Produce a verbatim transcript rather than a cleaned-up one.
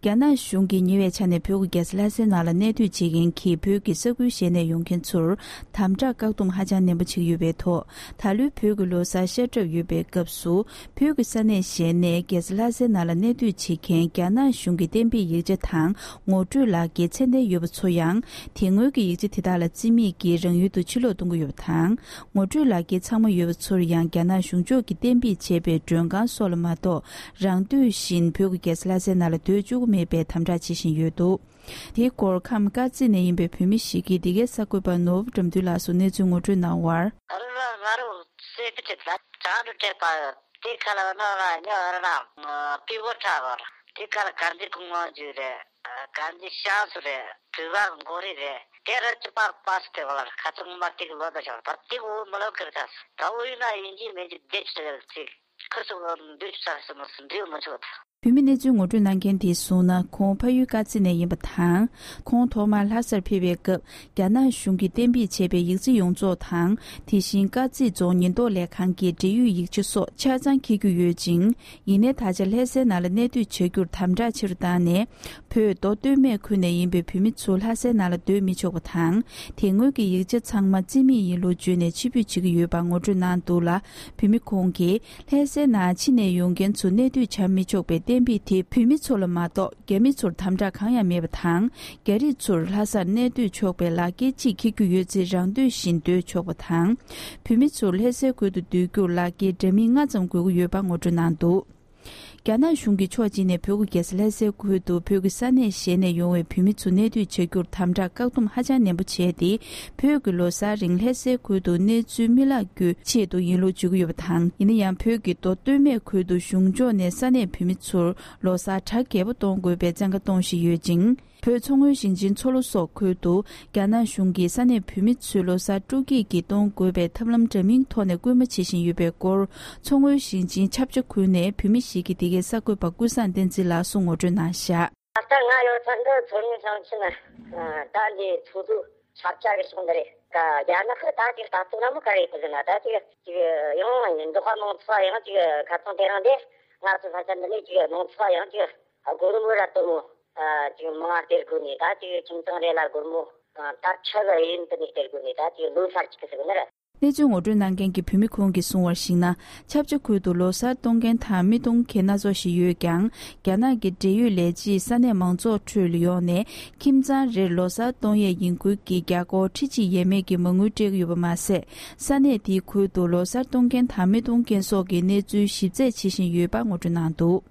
རྒྱ་ནག་གཞུང་གིས་ཉེ་བའི་ཆ་ནས་བོད་ཀྱི་རྒྱལ་ས་ལྷ་སའི་ནང་ལ་གནས་སྡོད་བྱེད་མཁན་གྱི་བོད་ཀྱི་ས་ཁུལ་གཞན་ནས་ཡོང་མཁན་ཚོར་དམ་དྲག་བཀག་སྡོམ་ཧ་ཅང་ནན་པོ་བྱེད་ཀྱི་ཡོད་པའི་ཐོག་ད་ལོའི་བོད་ཀྱི་ལོ་གསར་ཤར་གྲབས་ཡོད་པའི་སྐབས་སུ། བོད་ཀྱི་ས་གནས་གཞན་ནས་རྒྱལ་ས་ལྷ་སའི་ནང་ལ་གནས་སྡོད་བྱེད་མཁན་རྒྱ་ནག་གཞུང་གི་གཏན་འབེབས་ཡིག་ཆ་དང་ངོ་སྤྲོད་ལག་འཁྱེར་ཚད་ལྡན་ཡོད་པ་ཚོ་ཡང་། དེ་སྔོན་གྱི་ཡིག་ཆ་དེ་དག་ལ་རྩིས་མེད་ཀྱིས་རང་ཡུལ་དུ་ཕྱིར་ལོག་གཏོང་གི་ཡོད་པ་དང་། ངོ་སྤྲོད་ལག་འཁྱེར་ཚང་མ་ཡོད་པ་ཚོར་ཡང་རྒྱ་ནག་གཞུང་ཕྱོགས་ཀྱིས་གཏན་འབེབས་བྱས་པའི་མགྲོན་ཁང་སོགས་ལ་མ་གཏོགས། རང་འདོད་བཞིན་བོད་ཀྱི་རྒྱལ་ས་ལྷ་སའི་ནང་ལ་སྡོད་བཅུག་གི་མེད་པའི་དམ་དྲག་བྱེད་བཞིན་ཡོད་འདུག་དེའི་སྐོར་ཁམས་དཀར་མཛེས་ནས་ཡིན་པའི་བོད་མི་ཞིག་གིས་འདི་གའི་གསར་འགོད་པ་ནོར་བུ་དགྲ་འདུལ་ལགས་སུ་གནས་ཚུལ་ངོ་སྤྲོད་གནང་བར། ཨ་རོ་ར་ང་རོ་སེ་པི་ཏི་ད་ཅང་རུ་ཏྲེ་པ་དེ་ཁ་ལ་ན་ར་ཉ་ར་ན་པི་བོ་ཁྲ་བར་དེ་ཁ་ལ་གར་འདི་ཀུང་ཝང་ཇུ་རེད། གར་འདི་ཤང་སུ་རེད། བུ་བ་མགོ་རི་རེད། དེ་ར་ཅི་པ་པ་སི་ཏེ་བ་ལ་ཁ་ཚང་མ་ཏིག་ལོ་ད་ཤག་ད་ཏིག་འུ་མ་ལོ་ཀིར་ཐ་ད་འུ་ཡིན་ན་ཡིན་གྱི་མིན་གྱི་བདེ་ཆུ་ཏེ་ཚིག་ཁུ་སུ་འདུས་ཆུ་ས་སུ་མ་སུ་འདུས་མ་ཆོག་ད། བོད་མི་གནས་ཚུལ་ངོ་སྤྲོད་གནང་མཁན་དེས་གསུངས་ན། ཁོང་ཕ་ཡུལ་དཀར་མཛེས་ནས་ཡིན་པ་དང་། ཁོང་ཐོག་མར་ལྷ་སར་ཕེབས་པའི་སྐབས། རྒྱ་ནག་གཞུང་གིས་གཏན་འབེབས་བྱས་པའི་ཡིག་ཆ་ཡོངས་རྫོགས་དང་། དེ་བཞིན་དཀར་མཛེས་རྫོང་ཉེན་རྟོག་ལས་ཁང་གི་འབྲེལ་ཡོད་ཡིག་ཆ་སོགས་ཆ་ཚང་འཁྱེར་རྒྱུ་ཡོད་ཅིང་། ཡིན་ནའི་ད་ཆ་ལྷ་སའི་ནང་ལ་གནས་སྡོད་བྱ་རྒྱུར་དམ་དྲག་ཆེ་རུ་བཏང་ནས། བོད་མདོ་སྟོད་སྨད་ཁུལ་ནས་ཡིན་པའི་བོད་མི་ཚོ་ལྷ་སའི་ནང་ལ་སྡོད་མི་ཆོག་པ་དང་། དེ་སྔོན་གྱི་ཡིག་ཆ་ཚང་མ་རྩིས་མེད་ཡིན་ལུགས་བརྗོད་ནས་ཕྱིར་འབུད་བྱེད་ཀྱི་ཡོད་པ་ངོ་སྤྲོད་གནང་འདུག་ལ། བོད་མི་ཁོང་གིས། ལྷ་སའི་ནང་ཕྱི་ནས་ཡོང་མཁན་ཚོ་གནས་སྡོད་བྱ་མི་ཆོག་པའི་གཏན་འབེབས་དེ་བོད་མི་ཚོ་ལ་མ་གཏོགས་རྒྱ་མི་ཚོར་དམ་དྲག་གང་ཡང་མེད་པ་དང་། རྒྱ་རིགས་ཚོར་ལྷ་སར་གནས་སྡོད་ཆོག་པའི་ལག་འཁྱེར་གཅིག་འཁྱེར་རྒྱུ་ཡོད་ཚེ་རང་འདོད་བཞིན་སྡོད་ཆོག་པ་དང་། བོད་མི་ཚོར་ལྷ་སའི་ཁུལ་དུ་སྡོད་རྒྱུར་ལག་འཁྱེར་འདྲ་མིན་ལྔ་ཙམ་དགོས་ཀྱི་ཡོད་པ་ངོ་སྤྲོད་གནང་འདུག་རྒྱ་ནག་གཞུང་གིས་ཕྱོགས་གཅིག་ནས་བོད་ཀྱི་རྒྱལ་ས་ལྷ་སའི་ཁུལ་དུ་བོད་ཀྱི་ས་གནས་གཞན་ནས་ཡོང་བའི་བོད་མི་ཚོ་གནས་སྡོད་བྱ་རྒྱུར་དམ་དྲག་བཀག་སྡོམ་ཧ་ཅང་ནན་པོ་བྱས་ཏེ། བོད་ཀྱི་ལོ་གསར་རིང་ལྷ་སའི་ཁུལ་དུ་གནས་ཚུལ་མི་བརླག་རྒྱུའི་ཆེད་དུ་ཡིན་ལུགས་བརྗོད་ཀྱི་ཡོད་པ་དང་། ཡིན་ན་ཡང་བོད་ཀྱི་མདོ་སྟོད་སྨད་ཁུལ་དུ་གཞུང་ཕྱོགས་ནས་ས་གནས་བོད་མི་ཚོར་ལོ་གསར་གྲ་རྒྱས་པོ་གཏོང་དགོས་པའི་བཙན་བཀའ་གཏོང་བཞིན་ཡོད་ཅིང་། བོད་མཚོ་སྔོན་ཞིང་ཆེན་མཚོ་ལྷོ་སོགས་ཁུལ་དུ་རྒྱ་ནག་གཞུང་གིས་ས་གནས་བོད་མི་ཚོའི་ལོ་གསར་སྤྲོ་སྐྱིད་ཀྱིས་གཏོང་དགོས་པའི་ཐབས་ལམ་འདྲ་མིན་ཐོག་ནས་སྐུལ་མ་བྱེད་བཞིན་ཡོད་པའི་སྐོར། མཚོ་སྔོན་ཞིང་ཆེན་ཆབ་ཆ་ཁུལ་ནས་བོད་མི་ཞིག་གིས་འདི་གའི་གསར་འགོད་པ་ཀུན་བཟང་བསྟན་འཛིན་ལགས་སུ་ངོ་སྤྲོད་གནང་བཞག་ད་ལྟ་ང་ཡོད་ས་འདི་མཚོ་སྔོན་ཞིང་ཆེན་ད་འདི་ཚོགས་འདུ་ཆབ་ཆ་གི་ཕྱོགས་འདི་རེད། ད་རྒྱ་ནག་གི་ད་ཅིག་ལྟ་ཚུལ་ར་མོ་ག་རེ་ཡོད་ཟེར་ན། ད་ཅིག་ཅིག་ཡང་འབྲོག་པ་མང་ཚོགས་ཡང་ཅིག་ཁ་ཚང་དེ་རང་དེ་ང་ཚོ་ས་ཆ་འདི་ནས་ཅིག་མང་ཚོགས་ཡང་ཅིག་སྒོར་མོ་ར་དོ་མོ་ཅིག་མང་སྟེར་དགོས་ནས། ད་ཅིག་ཁྱིམ་ཚང་རེ་ལ་སྒོར་མོ་ད་ཁྲི་གི་ཡིན་དུ་ནས་སྟེར་དགོས་ནས། ད་ཅིག་ལོ་གསར་ཅིག་གི་ཟེར་གི་ནི་རེད། གནས་ཚུལ་ངོ་སྤྲོད་གནང་མཁན་གྱི་བོད་མི་ཁོང་གིས་གསུངས་པར་གཞིགས་ན། ཆབ་ཆ་ཁུལ་དུ་ལོ་གསར་གཏོང་མཁན་དང་མི་གཏོང་མཁན་སྣ་ཚོགས་ཤིག་ཡོད་ཀྱང་། རྒྱ་ནག་གི་འབྲེལ་ཡོད་ལས་བྱེད་ས་གནས་མང་ཚོགས་ཁྲོད་ལ་ཡོང་ནས་ཁྱིམ་ཚང་རེར་ལོ་གསར་གཏོང་ཡས་ཡིན་ཁུལ་གྱིས་རྒྱ་སྒོར་ཁྲི་གཅིག་ཡས་མས་ཀྱི་མ་དངུལ་སྤྲད་ཀྱི་ཡོད་པ་མ་ཟད། ས་གནས་དེའི་ཁུལ་དུ་ལོ་གསར་གཏོང་མཁན་དང་མི་གཏོང་མཁན་སོགས་ཀྱི་གནས་ཚུལ་ཞིབ་རྩད་བྱེད་བཞིན་ཡོད་པ་ངོ་སྤྲོད་གནང་འདུག